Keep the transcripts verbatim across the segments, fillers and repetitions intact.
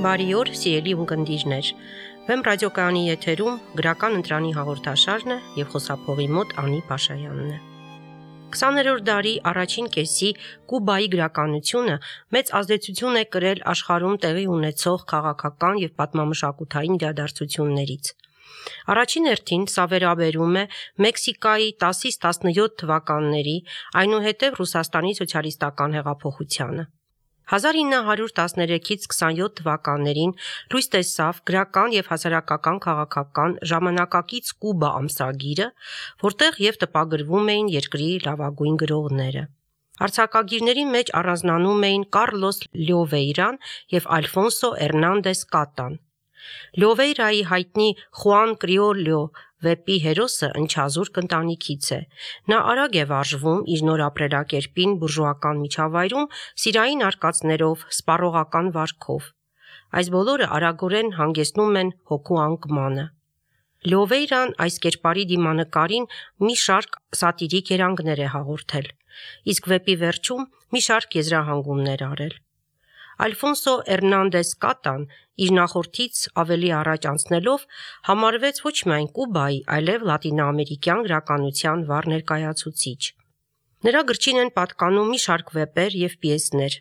Բարի օր, սիրելի ունկնդիրներ։ Վեմ ռադիոկայանի եթերում գրական ընտրանի հաղորդաշարն է եւ խոսափողի մոտ Անի Փաշայանն է։ քսաներորդ դարի առաջին կեսի Կուբայի գրականությունը մեծ ազդեցություն է կրել աշխարհում տեղի ունեցող քաղաքական եւ պատմամշակութային իրադարձություններից։ Առաջին հերթին սա վերաբերում է Մեքսիկայի տասից տասնյոթ թվականների, այնուհետև Ռուսաստանի սոցիալիստական հեղափոխությանը։ հազար ինը հարյուր տասներեքից քսանյոթ թվականներին լույս տեսավ գրական եւ հասարակական քաղաքական ժամանակակից Կուբա ամսագիրը, որտեղ եւ տպագրվում էին երկրի լավագույն գրողները։ Արձակագիրների մեջ առանձնանում էին Կառլոս Լյովեյրան եւ Ալֆոնսո Էրնանդես Կատան։ Լյովեյրայի հայտնի Խուան Կրիոլյո վեպի հերոսը ընչազուրկ ընտանիքից է։ Նա արագ է վարժվում իր նոր ապրելակերպին բուրժուական միջավայրում սիրային արկածներով, սպառողական վարքով։ Այս բոլորը արագորեն հանգեցնում են հոգու անկմանը։ Լյովեյրան այս կերպարի դիմանկարին մի շարք սատիրիկ երանգներ է հաղորդել, իսկ վեպի վերջում մի շարք եզրահանգումներ արել։ Ալֆոնսո Էրնանդես Կատան իր նախորդից ավելի առաջ անցնելով համարվեց ոչ միայն Կուբայի, այլև լատինոամերիկյան գրականության վառ ներկայացուցիչ։ Նրա գրչին են պատկանում մի շարք վեպեր եւ պիեսներ,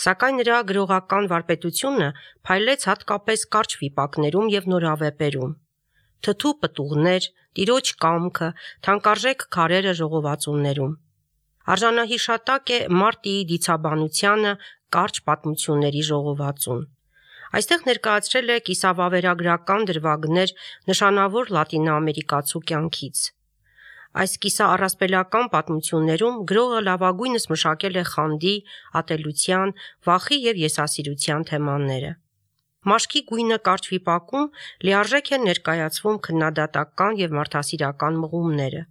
սակայն նրա գրողական վարպետությունը փայլեց հատկապես կարճ վիպակներում եւ նորավեպերում։ Թթու պտուղներ, տիրոջ կամքը, թանկարժեք քարերը ժողովածուներում։ Արժանահիշատակ է Մարտիի դիցաբանությանը կարճ պատմությունների ժողովածուն։ Այստեղ ներկայացրել է կիսավավերագրական դրվագներ նշանավոր լատինոամերիկացու կյանքից։ Այս կիսաառասպելական պատմություններում գրողը լավագույնս մշակել է խանդի, ատելության, վախի եւ եսասիրության թեմաները։ Մաշկի գույնը կարճ վիպակում լիարժեք են ներկայացվում քննադատական եւ մարդասիրական մղումները։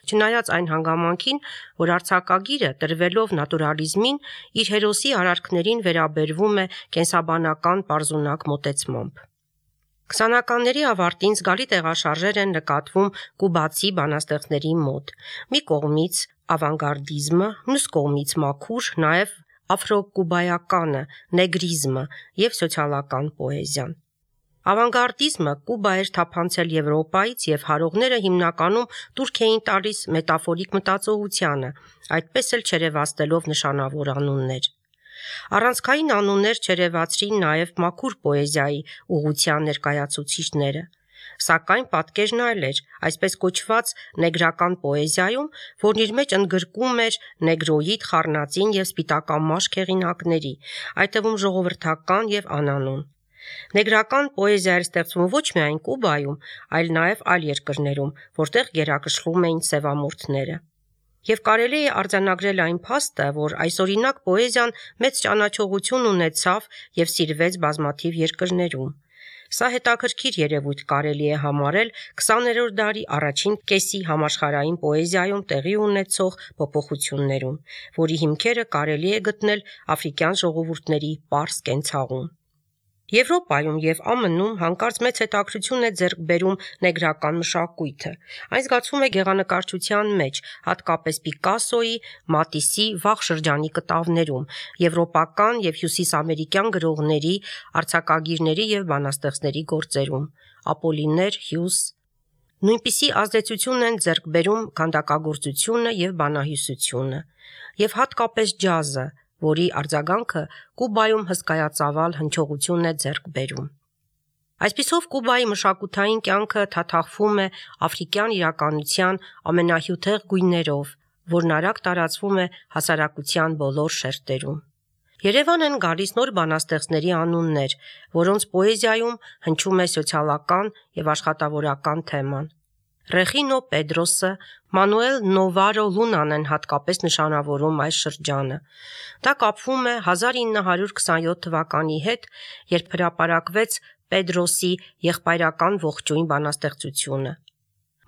Չնայած այն հանգամանքին, որ արձակագիրը տրվելով նատուրալիզմին իր հերոսի արարքներին վերաբերվում է կենսաբանական պարզունակ մոտեցմամբ։ Քսանականների ավարտին զգալի տեղաշարժեր են նկատվում կուբացի բանաստեղծների մոտ։ Մի կողմից ավանգարդիզմը, մյուս կողմից մաքուր, նաեւ աֆրոկուբայականը, նեգրիզմը եւ սոցիալական պոեզիան։ Ավանգարդիզմը Կուբա էր թափանցել Եվրոպայից եւ հարողները հիմնականում տուրք էին տալիս մետաֆորիկ մտածողությանը, այդպես էլ չերևացնելով նշանավոր անուններ։ Առանցքային անուններ չերևացրին նաեւ մաքուր պոեզիայի ուղղության ներկայացուցիչները։ Սակայն պատկերն այլ էր, այսպես կոչված նեգրական պոեզիայում, որն իր մեջ ընդգրկում էր նեգրոիդ, խառնածին եւ սպիտակամաշկ հեղինակների, այդ թվում ժողովրդական եւ անանուն։ Նեգրական պոեզիա էր ստեղծվում ոչ միայն Կուբայում, այլ նաեւ այլ երկրներում, որտեղ գերակշռում էին սևամորթները։ Եվ կարելի է արձանագրել այն փաստը, որ այսօրինակ պոեզիան մեծ ճանաչողություն ունեցավ եւ սիրվեց բազմաթիվ երկրներում։ Սա հետաքրքիր երևույթ կարելի է համարել քսաներորդ դարի առաջին կեսի համաշխարհային պոեզիայում տեղի ունեցող փոփոխություններում, որի հիմքերը կարելի է գտնել աֆրիկյան ժողովուրդների պարզ կենցաղում։ Եվրոպայում եւ Ամն Ում հանկարծ մեծ հետաքրություն է ձեռք բերում նեգրական մշակույթը։ Այն զգացվում է գեղանկարչության մեջ, հատկապես Պիկասոյի, Մատիսի վաղ շրջանի կտավներում, եվրոպական եւ հյուսիսամերիկյան գրողների, արձակագիրների եւ բանաստեղծների գործերում, Ապոլիներ, Հյուս։ Նույնպիսի ազդեցություն են ձեռք բերում քանդակագործությունը եւ բանահյուսությունը, եւ հատկապես ջազը, որի արձագանքը Կուբայում հսկայածավալ հնչողություն է ձեռք բերում։ Այսպիսով Կուբայի մշակութային կյանքը թաթախվում է աֆրիկյան իրականության ամենահյութեղ գույներով, որն արագ տարածվում է հասարակության բոլոր շերտերում։ Երևան են գալիս նոր բանաստեղծների անուններ, որոնց պոեզիայում հնչում է սոցիալական եւ աշխատավորական թեման։ Ռեխինո Պեդրոսը, Մանուել Նովարո Լունան են հատկապես նշանավորում այս շրջանը։ Դա կապվում է հազար ինը հարյուր քսանյոթ թվականի հետ, երբ հրապարակվեց Պեդրոսի եղբայրական ողջույն բանաստեղծությունը։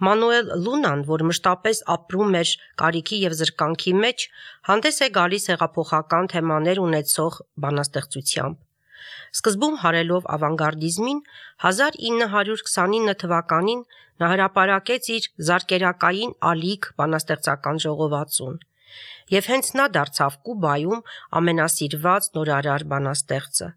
Մանուել Լունան, որ մշտապես ապրում էր կարիքի եւ զրկանքի մեջ, հանդես է գալիս հեղափոխական թեմաներ ունեցող բանաստեղծությամբ։ Սկզբում հարելով ավանգարդիզմին, հազար ինը հարյուր քսանինը թվականին նա հրապարակեց իր զարկերակային ալիք բանաստեղծական ժողովածուն, եւ հենց նա դարձավ Կուբայում ամենասիրված նորարար բանաստեղծը։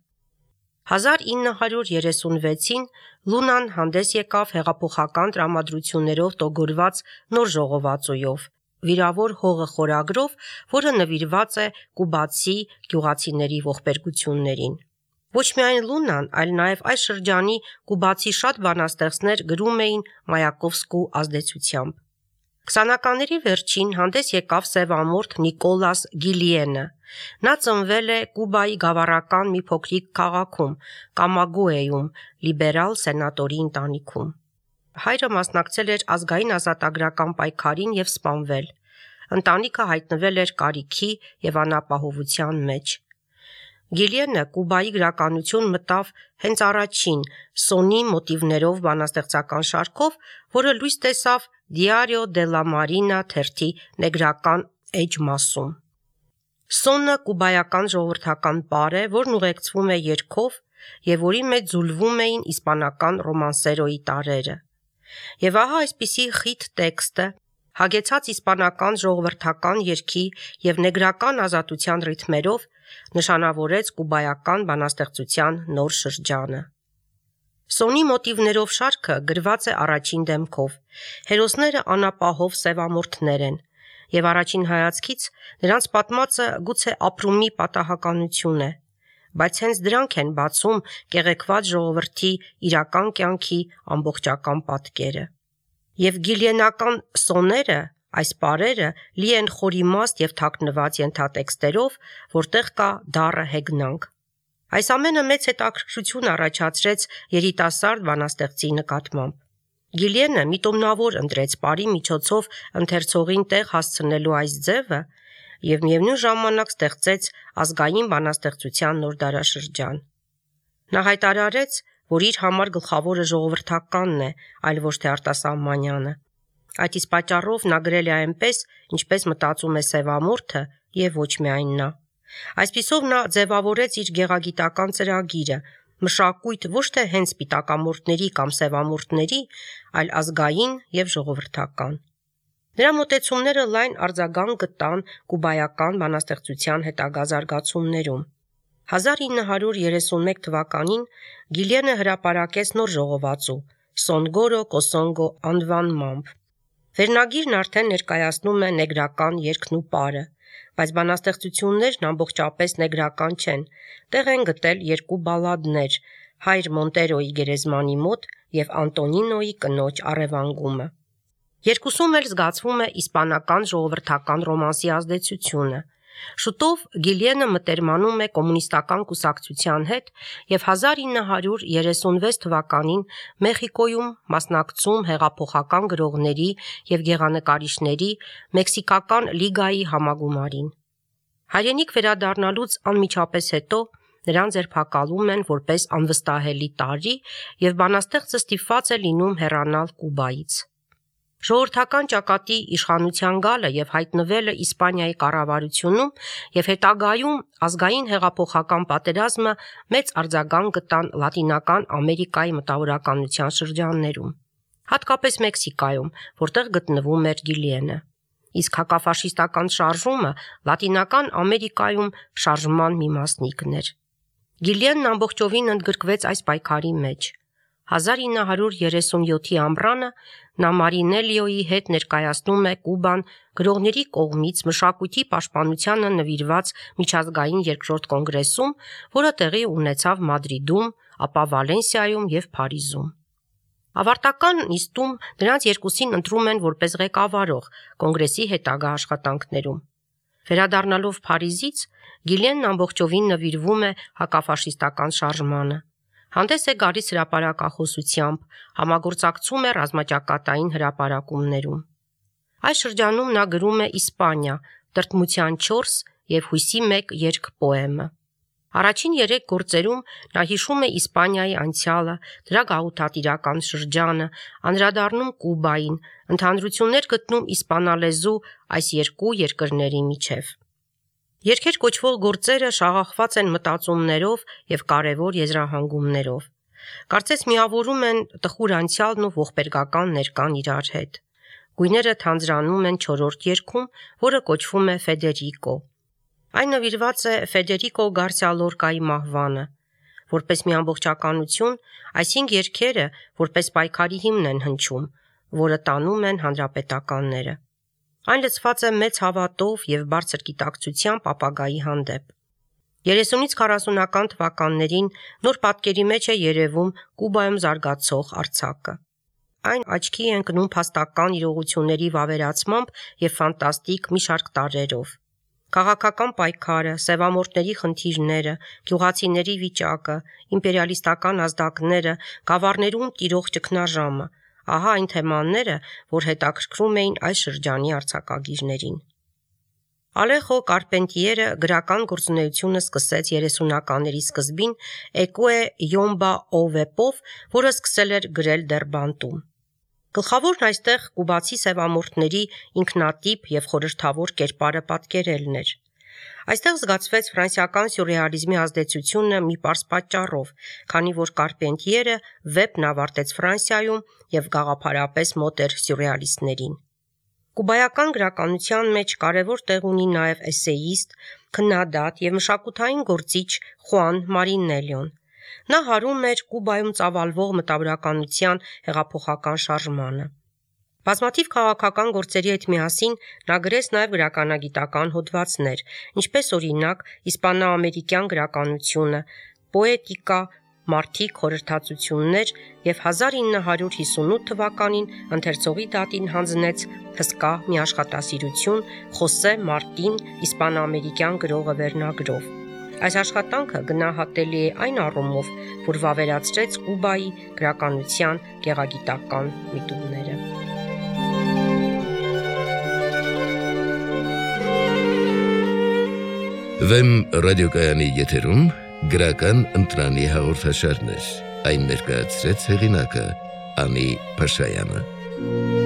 հազար ինը հարյուր երեսունվեցին Լունան հանդես եկավ հեղափոխական տրամադրություններով տոգորված նոր ժողովածույով, վիրավոր հողը խորագրով, որը նվիրված է կուբացի գյուղացիների ողբերգություններին։ Ոչ միայն Լունան, այլ նաև այս շրջանի կուբացի շատ բանաստեղծներ գրում էին Մայակովսկու ազդեցությամբ։ Քսանականների վերջին հանդես եկավ սևամորթ Նիկոլաս Գիլիենը։ Նա ծնվել է Կուբայի գավառական մի փոքրիկ քաղաքում, Կամագուեում, լիբերալ սենատորի ընտանիքում։ Հայրը մասնակցել էր ազգային ազատագրական պայքարին եւ սպանվել։ Ընտանիքը հայտնվել էր կարիքի եւ անապահովության մեջ։ Գիլիենը Կուբայի գրականություն մտավ հենց առաջին Սոնի մոտիվներով բանաստեղծական շարքով, որը լույս տեսավ Diario de la Marina թերթի նեգրական էջ մասում։ Սոնը կուբայական ժողովրդական պար է, որն ուղեկցվում է երգով եւ որի մեջ ձուլվում էին իսպանական ռոմանսերոյի տարրերը։ Եվ ահա այսպիսի խիտ տեքստը, հագեցած իսպանական ժողովրդական երգի եւ նեգրական ազատության ռիթմերով, նշանավորեց կուբայական բանաստեղծության նոր շրջանը։ Սոնի մոտիվներով շարքը գրված է առաջին դեմքով։ Հերոսները անապահով սևամորթներ են, եւ առաջին հայացքից նրանց պատմածը գուցե ապրումի պատահականություն է, բայց հենց դրանք են բացում կեղեքված ժողովրդի իրական կյանքի ամբողջական պատկերը։ Եվ գիլիենական սոները, այս պարերը լի են խորիմաստ եւ թաքնված ենթատեքստերով, որտեղ կա դառը հեգնանք։ Այս ամենը մեծ հետաքրքրություն առաջացրեց երիտասարդ բանաստեղծի նկատմամբ։ Գիլիենը միտումնավոր ընտրեց պարի միջոցով ընթերցողին տեղ հասցնելու այս ձևը եւ միևնույն ժամանակ ստեղծեց ազգային բանաստեղծության նոր դարաշրջան։ Նա հայտարարեց, որ իր համար գլխավորը ժողովրդականն է, այլ ոչ թե արտասահմանյանը։ Այդ իսկ պատճառով նա գրել է այնպես, ինչպես մտածում է սևամորթը եւ ոչ միայն նա։ Այսպիսով նա ձևավորեց իր գեղագիտական ծրագիրը, մշակույթ ոչ թե հենց սպիտակամորթների կամ սևամորթների, այլ ազգային եւ ժողովրդական։ Նրա մոտեցումները լայն արձագանք գտան կուբայական բանաստեղծության հետագա զարգացումներում։ հազար ինը հարյուր երեսունմեկ թվականին Գիլիենը հրապարակեց նոր ժողովածու Սոնգորո Կոսոնգո անվանմամբ։ Վերնագիրն արդեն ներկայացնում է նեգրական երգն ու պարը, բայց բանաստեղծություններն ամբողջապես նեգրական չեն, տեղ են գտել երկու բալադներ՝ Հայր Մոնտերոյի գերեզմանի մոտ եւ Անտոնինոյի կնոջ առևանգումը։ Երկուսում էլ զգացվում է իսպանական ժողովրդական ռոմանսի ազդեցությունը։ Շուտով Գիլիենը մտերմանում է կոմունիստական կուսակցության հետ եւ հազար ինը հարյուր երեսունվեց թվականին Մեխիկոյում մասնակցում հեղափոխական գրողների եւ գեղանկարիչների Մեքսիկական լիգայի համագումարին։ Հայրենիք վերադառնալուց անմիջապես հետո նրան ձերբակալում են որպես անվստահելի տարրի եւ բանաստեղծը ստիպված է լինում հեռանալ Կուբայից։ Ժողովրդական ճակատի իշխանության գալը եւ հայտնվելը Իսպանիայի կառավարությունում եւ հետագայում ազգային հեղափոխական պատերազմը մեծ արձագանք գտան Լատինական Ամերիկայի մտավորականության շրջաններում, հատկապես Մեքսիկայում, որտեղ գտնվում էր Գիլիենը։ Իսկ հակաֆաշիստական շարժումը Լատինական Ամերիկայում շարժման մի մասնիկն էր։ Գիլիենն ամբողջովին ընդգրկվեց այս պայքարի մեջ։ հազար ինը հարյուր երեսունյոթի ամռանը նա Մարինելիոյի հետ ներկայացնում է Կուբան գրողների կողմից մշակույթի պաշտպանությանը նվիրված միջազգային երկրորդ կոնգրեսում, որը տեղի ունեցավ Մադրիդում, ապա Վալենսիայում եւ Փարիզում։ Ավարտական նիստում նրանց երկուսին ընտրում են որպես ղեկավարող կոնգրեսի հետագա աշխատանքներում։ Վերադառնալով Փարիզից Գիլիենն ամբողջովին նվիրվում է հակաֆաշիստական շարժմանը։ Հանդես է գալիս հրապարակախոսությամբ, համագործակցում է ռազմաճակատային հրապարակումներում։ Այս շրջանում նա գրում է Իսպանիա, Տրտմության չորս եւ Հույսի մեկ երգ պոեմը։ Առաջին երեք գործերում նա հիշում է Իսպանիայի անցյալը, դրա գաղութատիրական շրջանը, անդրադառնում Կուբային, ընդհանրություններ գտնում իսպանալեզու այս երկու երկրների միջև։ Երգեր կոչվող գործերը շաղախված են մտածումներով եւ կարեւոր եզրահանգումներով։ Կարծես միավորում են տխուր անցյալն ու ողբերգական ներկան իրար հետ։ Գույները թանձրանում են չորրորդ երգում, որը կոչվում է Ֆեդերիկո։ Այն նվիրված է Ֆեդերիկո Գարսիա Լորկայի մահվանը, որպես մի ամբողջականություն, այսինքն երգերը որպես պայքարի հիմն են հնչում, որը տանում են հանրապետականները։ Այն լցված է մեծ հավատով եւ բարձր գիտակցությամբ ապագայի հանդեպ։ երեսունից քառասունական թվականներին նոր պատկերի մեջ է երևում Կուբայում զարգացող արձակը։ Այն աչքի է ընկնում փաստական իրողությունների վավերացմամբ եւ ֆանտաստիկ մի շարք տարրերով։ Քաղաքական պայքարը, սևամորթների խնդիրները, գյուղացիների վիճակը, իմպերիալիստական ազդակները, գավառներում տիրող ճգնաժամը, ահա այն թեմաները, որ հետաքրքրում էին այս շրջանի արձակագիրներին։ Ալեխո Կարպենտիերը գրական գործունեությունը սկսեց երեսունականների սկզբին Էկոե Յոմբա Օվեպով, որը սկսել էր գրել դեռ բանտում։ Գլխավորն այստեղ կուբացի սևամորթների ինքնատիպ եւ խորհրդավոր կերպարը պատկերելն էր։ Այստեղ զգացվեց ֆրանսիական սյուրռեալիզմի ազդեցությունը մի պարզ պատճառով, քանի որ Կարպենտիերը վեպն ավարտեց Ֆրանսիայում եւ գաղափարապես մոտ էր սյուրռեալիստներին։ Կուբայական գրականության մեջ կարևոր տեղ ունի նաև էսեիստ, քննադատ եւ մշակութային գործիչ Խուան Մարինելլոն։ Նա հարում էր Կուբայում ծավալվող մտավորականության հեղափոխական շարժմանը։ Բազմաթիվ քաղաքական գործերի հետ միասին նա գրեց նաև գրականագիտական հոդվածներ, ինչպես օրինակ իսպանա-ամերիկյան գրականությունը, պոետիկա, մարդիկ խորհրդածություններ եւ հազար ինը հարյուր հիսունութ թվականին ընթերցողի դատին հանձնեց հսկա մի աշխատասիրություն Խոսե Մարտին իսպանա-ամերիկյան գրողը վերնագրով։ Այս աշխատանքը գնահատելի է այն առումով, որ վավերացրեց Կուբայի գրականության գեղագիտական միտումները։ Վեմ ռադիոկայանի եթերում գրական ընտրանի հաղորդաշարներ, այն ներկայացրեց հեղինակը Անի Փաշայանը։